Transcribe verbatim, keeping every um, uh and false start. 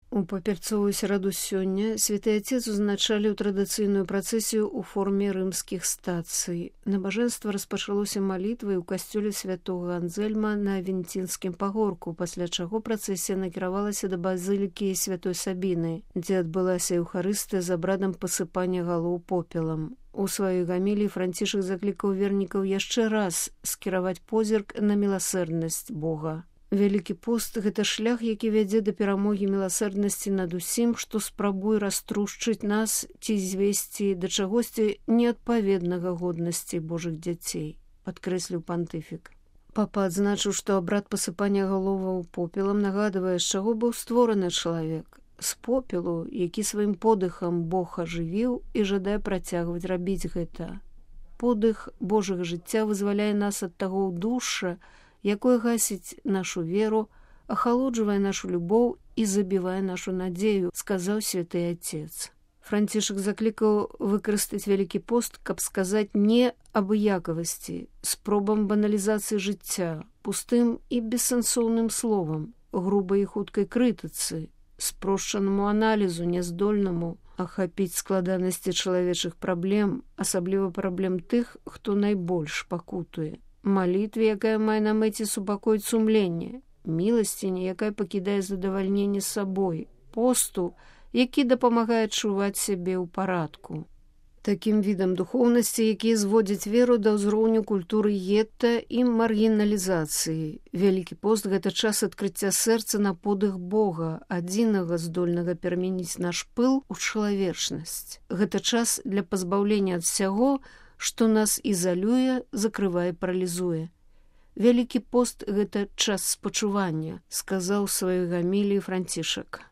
У папярцовую сераду сёння святы Отец узначаліў традыцыйную працэсію ў форме рымскіх стацый. Набажэнства распачалося малітвай у касцёле святога Анзельма на Авентінскім пагорку, пасля чаго працэсія накіравалася да базылікі святой Сабіны, дзе адбылася еўхарыстыя з абрадам пасыпання галоў попелам. У сваёй гаміліі Францішак заклікаў вернікаў яшчэ раз скіраваць позірк на міласэрнасць Бога. Вялікі пост – гэта шлях, які вядзе да перамогі міласэрнасці над усім, што спрабуе раструшчыць нас ці звесці да чагосьці неадпаведнага годнасці Божых дзяцей, падкрэсліў пантыфік. Папа адзначыў, што абрад пасыпання галоваў попелам нагадвае, з чаго быў створаны чалавек. З попелу, які сваім подыхам Бог ажывіў і жадае працягваць рабіць гэта. Подых Божага жыцця вызваляе нас ад таго ўдушша, якое гасіць нашу веру, ахалоджвае нашу любоў і забівае нашу надзею, сказаў святы Отец. Францішак заклікаў выкарыстаць вялікі пост, каб сказаць не абыякавасці, спробам баналізацыі жыцця, пустым і бессэнсоўным словам, грубай і хуткай крытыцы, спрошчанаму аналізу, няздольнаму ахапіць складанасці чалавечых праблем, асабліва праблем тых, хто найбольш пакутуе. Малітве, якая мае на мэце супакоіць сумленне, міласціні, якая пакідае задавальненне сабой, посту, які дапамагае адчуваць сябе ў парадку. Такім відам духоўнасці, якія зводзяць веру да ўзроўню культуры гетта і маргіналізацыі. Вялікі пост – гэта час адкрыцця сэрца на подых Бога, адзінага здольнага перамяніць наш пыл у чалавечнасць. Гэта час для пазбаўлення ад всяго, што нас ізалюе, закрывае, паралізуе. Вялікі пост – гэта час спачування, сказаў у сваёй гаміліі Францішак.